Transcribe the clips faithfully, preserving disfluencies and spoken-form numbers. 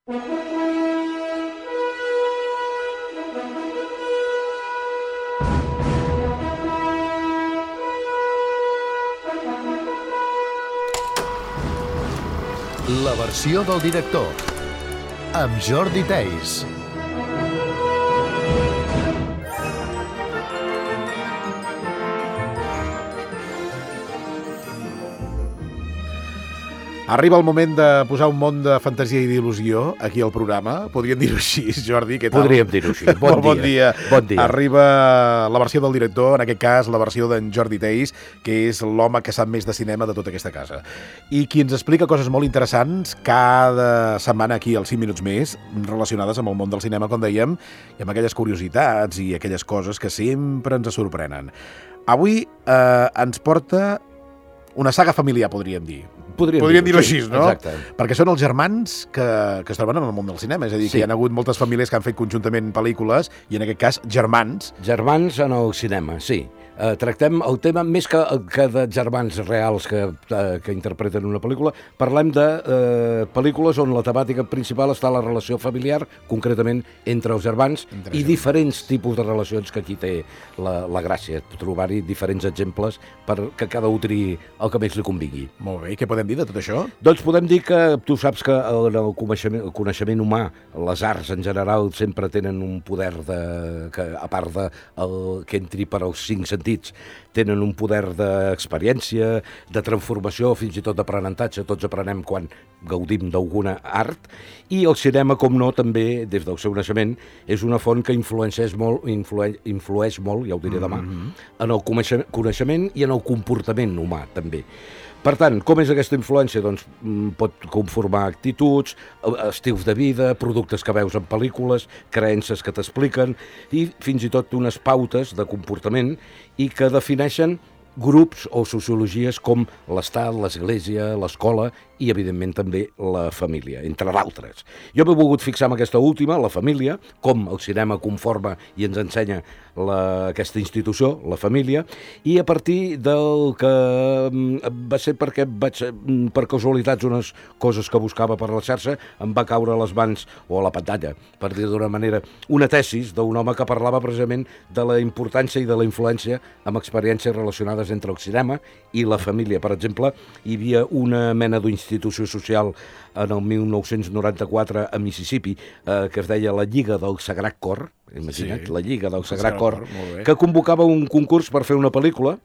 La versió del director, amb Jordi Theis. Arriba el moment de posar un món de fantasia i d'il·lusió aquí al programa. Podríem dir-ho així, Jordi, què tal? Podríem dir-ho així. Bon, bon dia. dia. Bon dia. Arriba la versió del director, en aquest cas la versió d'en Jordi Theis, que és l'home que sap més de cinema de tota aquesta casa. I qui ens explica coses molt interessants cada setmana aquí als cinc minuts més, relacionades amb el món del cinema, com dèiem, i amb aquelles curiositats i aquelles coses que sempre ens sorprenen. Avui eh, ens porta una saga familiar, podríem dir. Podríem, Podríem dir-ho dir així, no? Exacte. Perquè són els germans que, que es troben en el món del cinema. És a dir, Sí. que hi ha hagut moltes famílies que han fet conjuntament pel·lícules i, en aquest cas, germans. Germans en el cinema, sí. Eh, tractem el tema, més que, que de germans reals que, eh, que interpreten una pel·lícula, parlem de eh, pel·lícules on la temàtica principal està la relació familiar, concretament entre els germans, Entre i germans. diferents tipus de relacions, que aquí té la, la gràcia, trobar-hi diferents exemples perquè cada un triï el que més li convingui. Molt bé, i què podem dir de tot això? Doncs podem dir que tu saps que en el coneixement, el coneixement humà, les arts en general sempre tenen un poder de, que, a part de el, que entri per als cinc sentits, tenen un poder d'experiència, de transformació, fins i tot d'aprenentatge. Tots aprenem quan gaudim d'alguna art, i el cinema, com no, també, des del seu naixement, és una font que influeix molt, influeix, influeix molt, ja ho diré demà, mm-hmm. en el coneixement i en el comportament humà, també. Per tant, com és aquesta influència? Doncs pot conformar actituds, estils de vida, productes que veus en pel·lícules, creences que t'expliquen i fins i tot unes pautes de comportament i que defineixen grups o sociologies com l'Estat, l'Església, l'escola i, evidentment, també la família, entre d'altres. Jo m'he volgut fixar en aquesta última, la família, com el cinema conforma i ens ensenya la, aquesta institució, la família, i a partir del que va ser perquè vaig, per casualitats, unes coses que buscava per la xarxa, em va caure a les mans, o a la pantalla, per dir d'una manera, una tesis d'un home que parlava precisament de la importància i de la influència amb experiències relacionades entre el cinema i la família. Per exemple, hi havia una mena d'institució social en el mil nou-cents noranta-quatre a Mississippi eh, que es deia la Lliga del Sagrat Cor, imagina't, Sí. la Lliga del El Sagrat Sagrat Cor, Cor, molt bé. que convocava un concurs per fer una pel·lícula,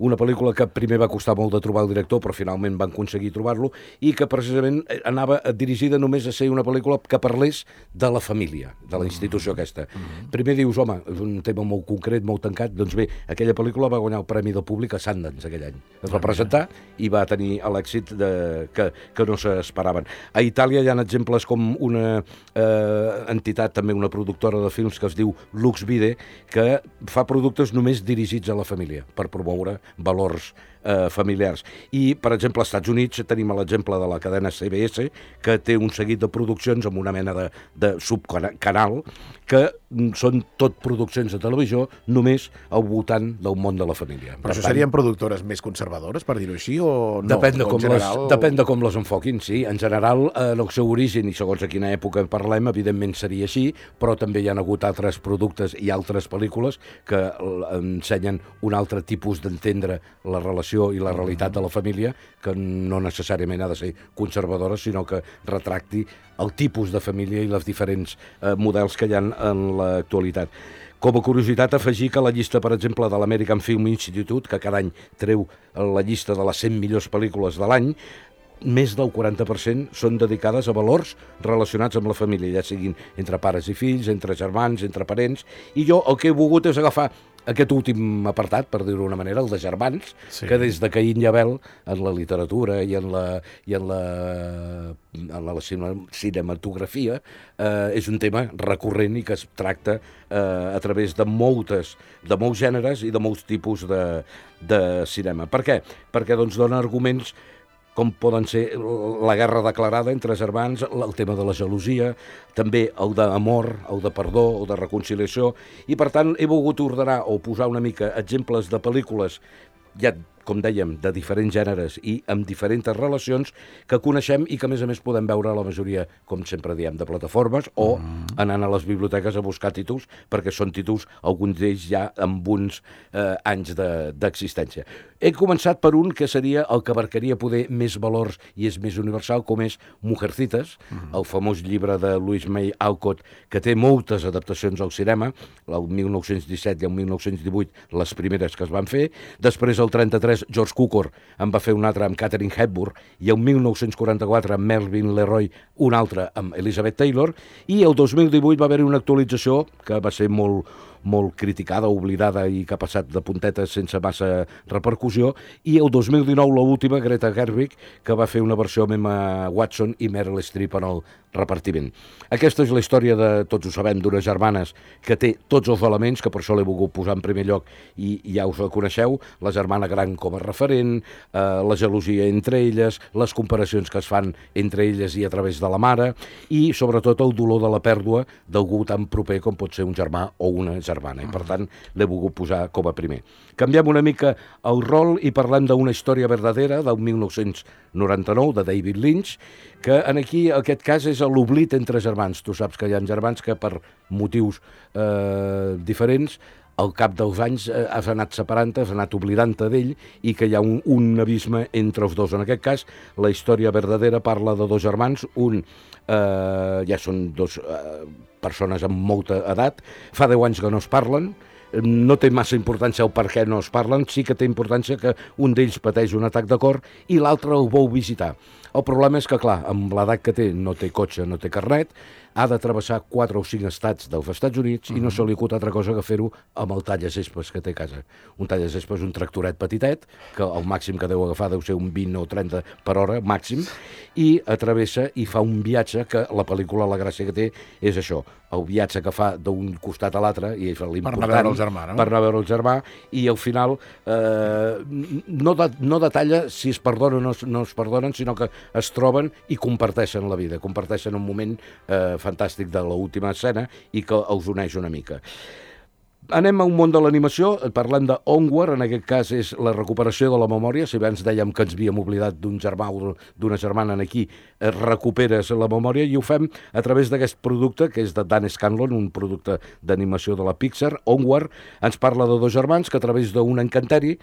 una pel·lícula que primer va costar molt de trobar el director, però finalment van aconseguir trobar-lo, i que precisament anava dirigida només a ser una pel·lícula que parlés de la família, de la institució aquesta. Mm-hmm. Primer dius, home, és un tema molt concret, molt tancat, doncs bé, aquella pel·lícula va guanyar el Premi del Públic a Sundance aquell any. Es va presentar i va tenir l'èxit de, que, que no s'esperaven. A Itàlia hi ha exemples com una eh, entitat, també una productora de films que es diu Lux Vide, que fa productes només dirigits a la família, per promoure valors eh, familiars. I, per exemple, als Estats Units tenim l'exemple de la cadena C B S, que té un seguit de produccions amb una mena de, de subcanal, que són tot produccions de televisió només al voltant del món de la família. Però això serien productores més conservadores, per dir-ho així, o no? Depèn de, O en com general... les, depèn de com les enfoquin, sí. En general, en el seu origen, i segons a quina època parlem, evidentment seria així, però també hi ha hagut altres productes i altres pel·lícules que ensenyen un altre tipus d'entendre la relació i la realitat de la família, que no necessàriament ha de ser conservadora, sinó que retracti el tipus de família i els diferents eh, models que hi ha en l'actualitat. Com a curiositat, afegir que la llista, per exemple, de l'American Film Institute, que cada any treu la llista de les cent millors pel·lícules de l'any, més del quaranta per cent són dedicades a valors relacionats amb la família, ja siguin entre pares i fills, entre germans, entre parents, i jo el que he volgut és agafar aquest últim apartat, per dir-ho d'una manera, el de germans, Sí. que des de Caín i Abel, en la literatura i en la, i en la, en la cinematografia, eh, és un tema recurrent i que es tracta eh, a través de moltes, de molts gèneres i de molts tipus de, de cinema. Per què? Perquè doncs, dona arguments com poden ser la guerra declarada entre germans, el tema de la gelosia, també el d'amor, el de perdó, el de reconciliació, i per tant he volgut ordenar o posar una mica exemples de pel·lícules, ja com dèiem, de diferents gèneres i amb diferents relacions que coneixem i que, a més a més, podem veure a la majoria, com sempre diem, de plataformes o mm. anant a les biblioteques a buscar títols, perquè són títols, alguns d'ells ja amb uns eh, anys d'existència. De, He començat per un que seria el que abarcaria poder més valors i és més universal, com és Mujercitas, mm. el famós llibre de Louise May Alcott, que té moltes adaptacions al cinema, el mil nou-cents disset i el mil nou-cents divuit, les primeres que es van fer. Després, el trenta-tres, George Cukor en va fer un altre amb Katharine Hepburn, i el mil nou-cents quaranta-quatre, amb Melvin Leroy, un altre amb Elizabeth Taylor, i el dos mil divuit va haver-hi una actualització que va ser molt molt criticada, oblidada i que ha passat de puntetes sense massa repercussió, i el dos mil dinou l'última, Greta Gerwig, que va fer una versió amb Emma Watson i Meryl Streep en el repartiment. Aquesta és la història de, tots ho sabem, d'unes germanes que té tots els elements, que per això l'he volgut posar en primer lloc i ja us la coneixeu, la germana gran com a referent, eh, la gelosia entre elles, les comparacions que es fan entre elles i a través de la mare, i sobretot el dolor de la pèrdua d'algú tan proper com pot ser un germà o una germana, i per tant l'he volgut posar com a primer. Canviem una mica el rol i parlem d'una història verdadera del mil nou-cents noranta-nou, de David Lynch, que en aquí, aquest cas, és l'oblit entre germans. Tu saps que hi ha germans que per motius eh, diferents al cap dels anys eh, has anat separant-te, has anat oblidant-te d'ell i que hi ha un, un abisme entre els dos. En aquest cas, la història verdadera parla de dos germans, un eh, ja són dos eh, persones amb molta edat, fa deu anys que no es parlen, no té massa importància el per què no es parlen, sí que té importància que un d'ells pateix un atac de cor i l'altre el vol visitar. El problema és que, clar, amb l'edat que té, no té cotxe, no té carnet, ha de travessar quatre o cinc estats dels Estats Units uh -huh. i no se li acut altra cosa que fer-ho amb el tallasespes que té a casa. Un tallasespes és un tractoret petitet, que el màxim que deu agafar deu ser un vint o trenta per hora, màxim, i atravessa i fa un viatge que la pel·lícula, la gràcia que té, és això, el viatge que fa d'un costat a l'altre, i és l'important, per anar a veure el germà, no? Per anar a veure el germà, i al final eh, no, de, no detalla si es perdonen o no, no es perdonen, sinó que es troben i comparteixen la vida, comparteixen un moment eh, fantàstic de l'última escena i que els uneix una mica. Anem a un món de l'animació, parlem de Onward, en aquest cas és la recuperació de la memòria. Si abans dèiem que ens havíem oblidat d'un germà o d'una germana, aquí recuperes la memòria i ho fem a través d'aquest producte que és de Dan Scanlon, un producte d'animació de la Pixar. Onward ens parla de dos germans que a través d'un encanteri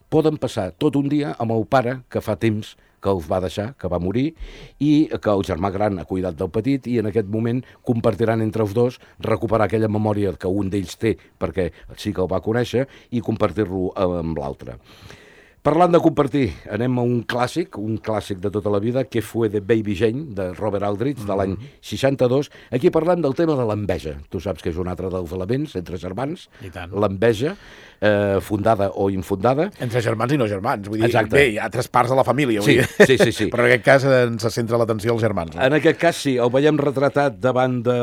poden passar tot un dia amb el pare que fa temps que els va deixar, que va morir, i que el germà gran ha cuidat del petit, i en aquest moment compartiran entre els dos recuperar aquella memòria que un d'ells té, perquè sí que el va conèixer, i compartir-lo amb l'altre. Parlant de compartir, anem a un clàssic, un clàssic de tota la vida, que fue de Baby Jane, de Robert Aldrich, de l'any seixanta-dos. Aquí parlem del tema de l'enveja. Tu saps que és un altre dels elements entre germans, l'enveja, eh, fundada o infundada. Entre germans i no germans, vull dir, exacte. Bé, hi ha altres parts de la família, vull sí, dir. Sí, sí, sí. Però en aquest cas ens centra l'atenció als germans. No? En aquest cas sí, el veiem retratat davant de,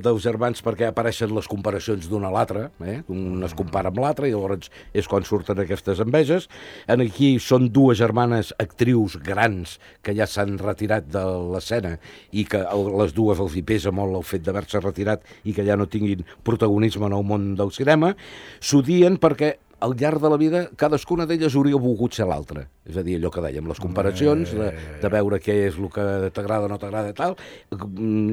dels germans perquè apareixen les comparacions d'un a l'altre, eh? Un es compara amb l'altre i llavors és quan surten aquestes enveges. En aquí són dues germanes actrius grans que ja s'han retirat de l'escena i que les dues els hi pesa molt el fet d'haver-se retirat i que ja no tinguin protagonisme en el món del cinema. S'odien perquè al llarg de la vida cadascuna d'elles hauria volgut ser l'altra. És a dir, allò que dèiem, les comparacions, de, de veure què és el que t'agrada o no t'agrada i tal,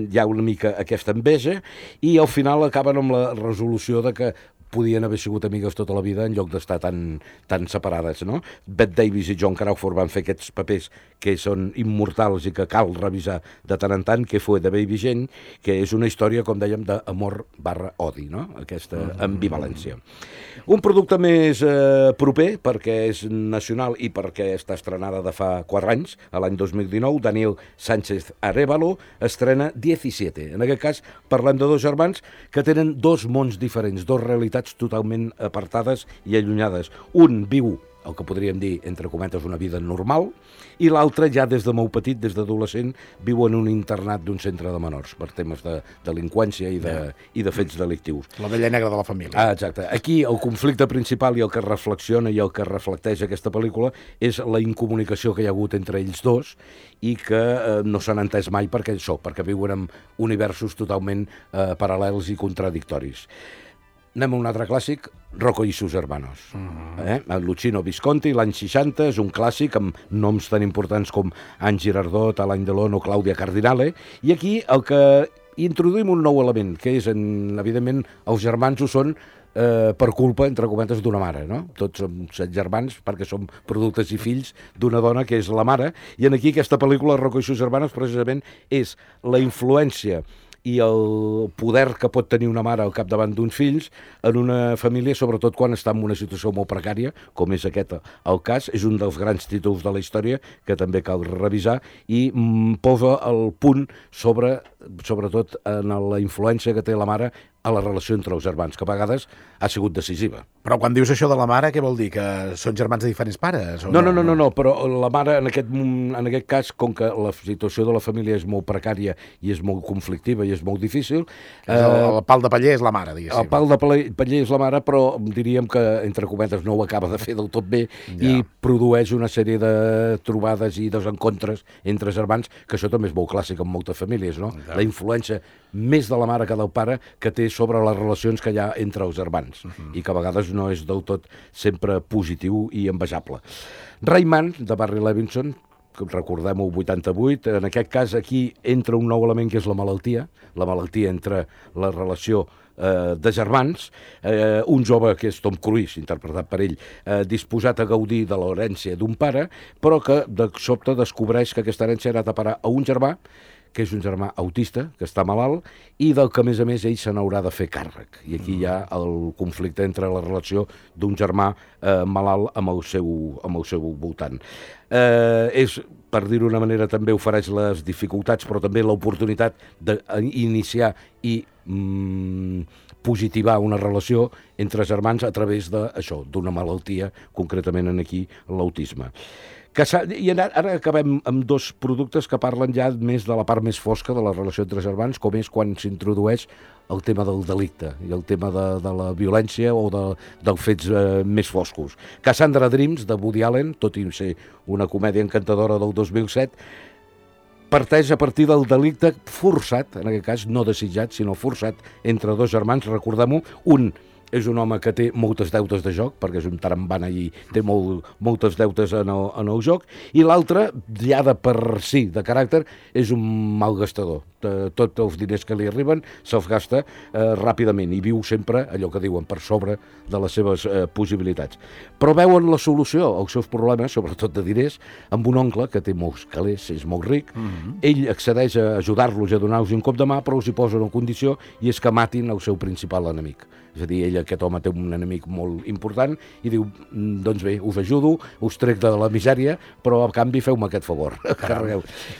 hi ha una mica aquesta enveja i al final acaben amb la resolució de que podien haver sigut amigues tota la vida en lloc d'estar tan, tan separades, no? Bette Davis i John Crawford van fer aquests papers que són immortals i que cal revisar de tant en tant, que fue de Baby Jane, que és una història, com dèiem, d'amor barra odi, no? Aquesta ambivalència. Un producte més eh, proper, perquè és nacional i perquè està estrenada de fa quatre anys, a l'any dos mil dinou, Daniel Sánchez Arévalo estrena diecisiete. En aquest cas parlem de dos germans que tenen dos mons diferents, dos realitats totalment apartades i allunyades. Un viu el que podríem dir, entre cometes, una vida normal, i l'altre ja des de molt petit, des d'adolescent, viu en un internat d'un centre de menors per temes de delinqüència i de, yeah. i de fets delictius. La vella negra de la família. Ah, exacte. Aquí el conflicte principal i el que reflexiona i el que reflecteix aquesta pel·lícula és la incomunicació que hi ha hagut entre ells dos i que eh, no s'han entès mai perquè això, perquè viuen en universos totalment eh, paral·lels i contradictoris. Anem a un altre clàssic, Rocco i sus hermanos. Mm-hmm. eh? Luchino Visconti, l'any seixanta, és un clàssic amb noms tan importants com Anne Girardot, Alain Delon o Clàudia Cardinale, i aquí el que introduïm un nou element, que és, en, evidentment, els germans ho són eh, per culpa, entre cometes, d'una mare, no? Tots som set germans perquè som productes i fills d'una dona que és la mare, i en aquí aquesta pel·lícula, Rocco i sus hermanos, precisament és la influència i el poder que pot tenir una mare al capdavant d'uns fills en una família, sobretot quan està en una situació molt precària, com és aquest el cas. És un dels grans títols de la història que també cal revisar i mm, posa el punt sobre, sobretot en la influència que té la mare a la relació entre els germans, que a vegades ha sigut decisiva. Però quan dius això de la mare, què vol dir? Que són germans de diferents pares? O no, no, no, no, no, però la mare, en aquest, en aquest cas, com que la situació de la família és molt precària i és molt conflictiva i és molt difícil... Eh, el, el pal de paller és la mare, diguéssim. El pal de paller és la mare, però diríem que, entre cometes, no ho acaba de fer del tot bé ja. I produeix una sèrie de trobades i desencontres entre germans, que això també és molt clàssic en moltes famílies, no? Ja. La influència més de la mare que del pare que té sobre les relacions que hi ha entre els germans, uh-huh. I que a vegades no és del tot sempre positiu i envejable. Rayman, de Barry Levinson, recordem-ho, vuitanta-vuit, en aquest cas aquí entra un nou element que és la malaltia, la malaltia entre la relació eh, de germans, eh, un jove que és Tom Cruise, interpretat per ell, eh, disposat a gaudir de l'herència d'un pare, però que de sobte descobreix que aquesta herència ha anat a parar a un germà, que és un germà autista, que està malalt, i del que, a més a més, ell se n'haurà de fer càrrec. I aquí hi ha el conflicte entre la relació d'un germà eh, malalt amb el seu, amb el seu voltant. Eh, és, per dir-ho d'una manera, també ofereix les dificultats, però també l'oportunitat d'iniciar i mm, positivar una relació entre germans a través d'això, d'una malaltia, concretament en aquí, l'autisme. Que I ara, ara acabem amb dos productes que parlen ja més de la part més fosca de la relació entre germans, com és quan s'introdueix el tema del delicte i el tema de, de la violència o de, dels fets eh, més foscos. Cassandra Dreams, de Woody Allen, tot i ser una comèdia encantadora del dos mil set, parteix a partir del delicte forçat, en aquest cas no desitjat, sinó forçat, entre dos germans, recordem-ho, un és un home que té moltes deutes de joc, perquè és un tarambana i té molt, moltes deutes en el, en el joc, i l'altre, ja de per si, de caràcter, és un malgastador. Tots els diners que li arriben se'ls gasta eh, ràpidament i viu sempre, allò que diuen, per sobre de les seves eh, possibilitats. Però veuen la solució als seus problemes, sobretot de diners, amb un oncle que té molts calés, és molt ric. Mm-hmm. Ell accedeix a ajudar-los i a donar-los un cop de mà, però els hi posa una condició, i és que matin el seu principal enemic. És a dir, ell, aquest home, té un enemic molt important i diu, doncs bé, us ajudo, us trec de la misèria, però a canvi feu-me aquest favor.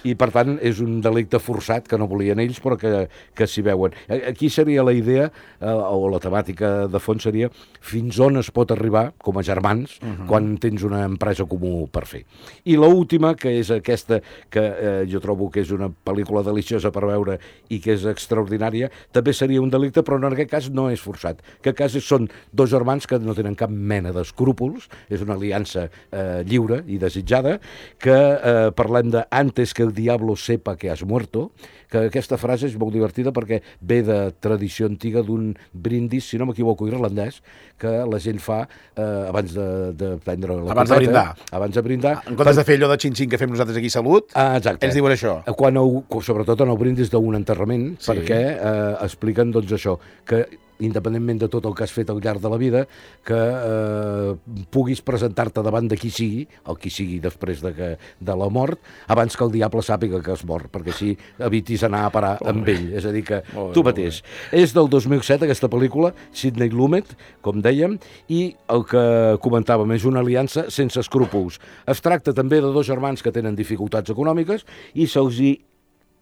I, per tant, és un delicte forçat que no volien ells, però que, que s'hi veuen. Aquí seria la idea, eh, o la temàtica de fons seria fins on es pot arribar, com a germans, uh-huh. quan tens una empresa comú per fer. I l'última, que és aquesta, que eh, jo trobo que és una pel·lícula deliciosa per veure i que és extraordinària, també seria un delicte, però en aquest cas no és forçat. Que a cas són dos germans que no tenen cap mena d'escrúpols, és una aliança eh, lliure i desitjada, que eh, parlem de antes que el diablo sepa que has muerto, que aquesta frase és molt divertida perquè ve de tradició antiga d'un brindis, si no m'equivoco, irlandès, que la gent fa eh, abans de, de prendre la abans copeta, de brindar. Abans de brindar. En comptes de fer allò de xin-xin que fem nosaltres aquí, salut, ah, exacte. Ells diuen això. Quan ho, sobretot en el brindis d'un enterrament, sí. Perquè eh, expliquen doncs això, que independentment de tot el que has fet al llarg de la vida, que eh, puguis presentar-te davant de qui sigui, el qui sigui després de, que, de la mort, abans que el diable sàpiga que has mort, perquè així evitis anar a parar oh, amb ell. És a dir, que oh, tu mateix. Oh, és del dos mil set, aquesta pel·lícula, Sidney Lumet, com dèiem, i el que comentàvem és una aliança sense escrúpols. Es tracta també de dos germans que tenen dificultats econòmiques i se'ls hi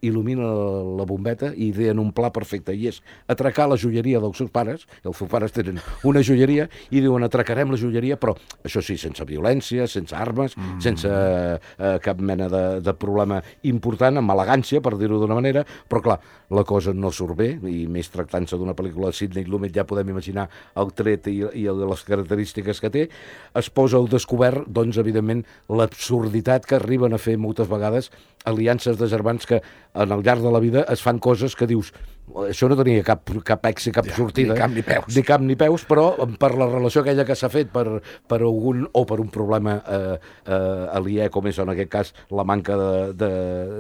il·lumina la bombeta i ideen un pla perfecte, i és atracar la joieria dels seus pares. Els seus pares tenen una joieria i diuen atracarem la joieria, però això sí, sense violència, sense armes, mm. sense eh, cap mena de, de problema important, amb elegància, per dir-ho d'una manera, però clar, la cosa no surt bé, i més tractant-se d'una pel·lícula de Sidney Lumet ja podem imaginar el tret i, i les característiques que té. Es posa al descobert, doncs, evidentment, l'absurditat que arriben a fer moltes vegades aliances de germans que en el llarg de la vida es fan coses que dius això no tenia cap, cap èxit, cap Ja, sortida. ni cap ni peus. Ni cap ni peus, però per la relació aquella que s'ha fet per, per algun, o per un problema eh, eh, aliè, com és en aquest cas la manca de, de,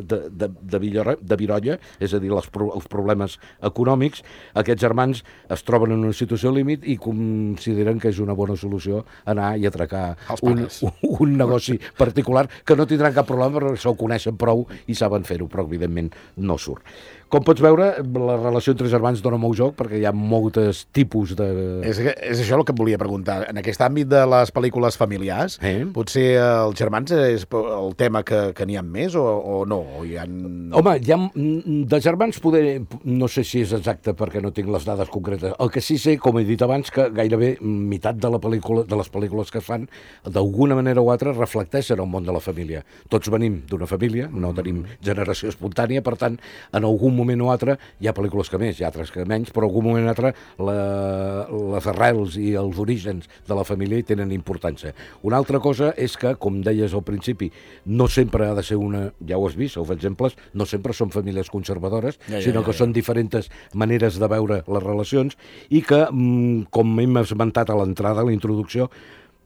de, de, de, Villora, de Virolla, és a dir, les, els problemes econòmics, aquests germans es troben en una situació límit i consideren que és una bona solució anar i atracar un, un negoci particular que no tindran cap problema perquè se'l coneixen prou i saben fer-ho, però evidentment no surt. Com pots veure, la relació entre germans dona molt joc perquè hi ha moltes tipus de... És, és això el que et volia preguntar. En aquest àmbit de les pel·lícules familiars, eh? potser els germans és el tema que, que n'hi ha més o, o no? O hi ha... Home, hi ha, de germans poder... No sé si és exacte perquè no tinc les dades concretes. El que sí sé, com he dit abans, que gairebé meitat de, la pel·lícula, de les pel·lícules que es fan, d'alguna manera o altra, reflecteixen el món de la família. Tots venim d'una família, no tenim generació espontània, per tant, en algun moment o altre, hi ha pel·lícules que més, hi ha altres que menys, però en algun moment o altre la, les arrels i els orígens de la família hi tenen importància. Una altra cosa és que, com deies al principi, no sempre ha de ser una, ja ho has vist, els exemples, no sempre són famílies conservadores, ja, ja, sinó que ja, ja. són diferents maneres de veure les relacions i que, com hem esmentat a l'entrada, a la introducció,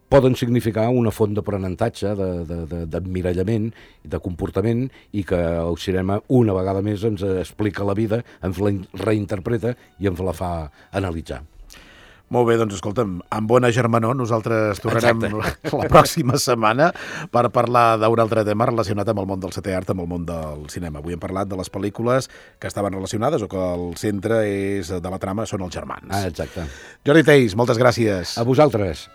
poden significar una font d'aprenentatge, d'emmirallament, de comportament, i que el cinema una vegada més ens explica la vida, ens la reinterpreta i ens la fa analitzar. Molt bé, doncs escolta'm, amb bona germanor nosaltres tornarem la, la pròxima setmana per parlar d'un altre tema relacionat amb el món del setè art, amb el món del cinema. Avui hem parlat de les pel·lícules que estaven relacionades o que el centre és de la trama són els germans. Ah, exacte. Jordi Theis, moltes gràcies. A vosaltres.